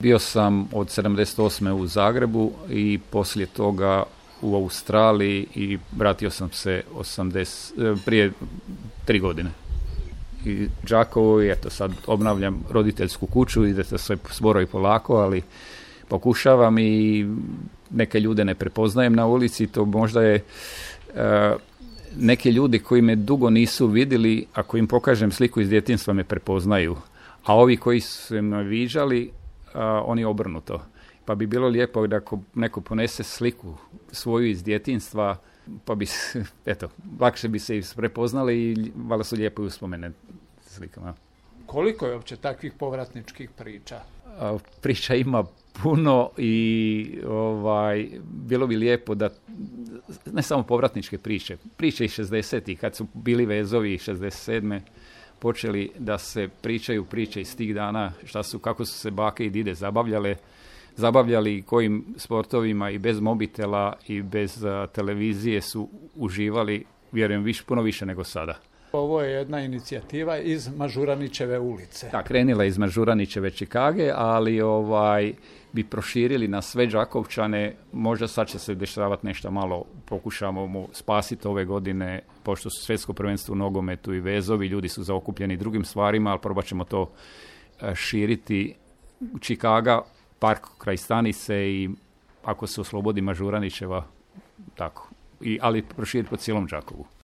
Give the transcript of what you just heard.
Bio sam od 78. u Zagrebu i poslije toga u Australiji i vratio sam se prije 3 godine. I Đakovo, i eto sad obnavljam roditeljsku kuću, ide to sve sporo i polako, ali pokušavam i neke ljude ne prepoznajem na ulici, to možda je neki ljudi koji me dugo nisu vidjeli, ako im pokažem sliku iz djetinjstva me prepoznaju, a ovi koji su me viđali, oni obrnuto. Pa bi bilo lijepo da ako neko ponese sliku svoju iz djetinjstva, pa bi lakše bi se i prepoznali i valjda su lijepo uspomene slikama. Koliko je uopće takvih povratničkih priča? Priča ima puno i bilo bi lijepo da ne samo povratničke priče iz 60-ih, kad su bili vezovi 67. počeli da se pričaju priče iz tih dana, kako su se bake i dide zabavljali, kojim sportovima i bez mobitela i bez televizije su uživali, vjerujem, puno više nego sada. Ovo je jedna inicijativa iz Mažuranićeve ulice. Da, krenila iz Mažuranićeve Čikage, ali bi proširili na sve Đakovčane. Možda sad će se dešavati nešto malo, pokušamo mu spasiti ove godine, pošto su svjetsko prvenstvo u nogometu i vezovi, ljudi su zaokupljeni drugim stvarima, ali probat ćemo to širiti. Čikaga, park kraj stanice i ako se oslobodi Mažuranićeva, tako. Ali proširiti po cijelom Đakovu.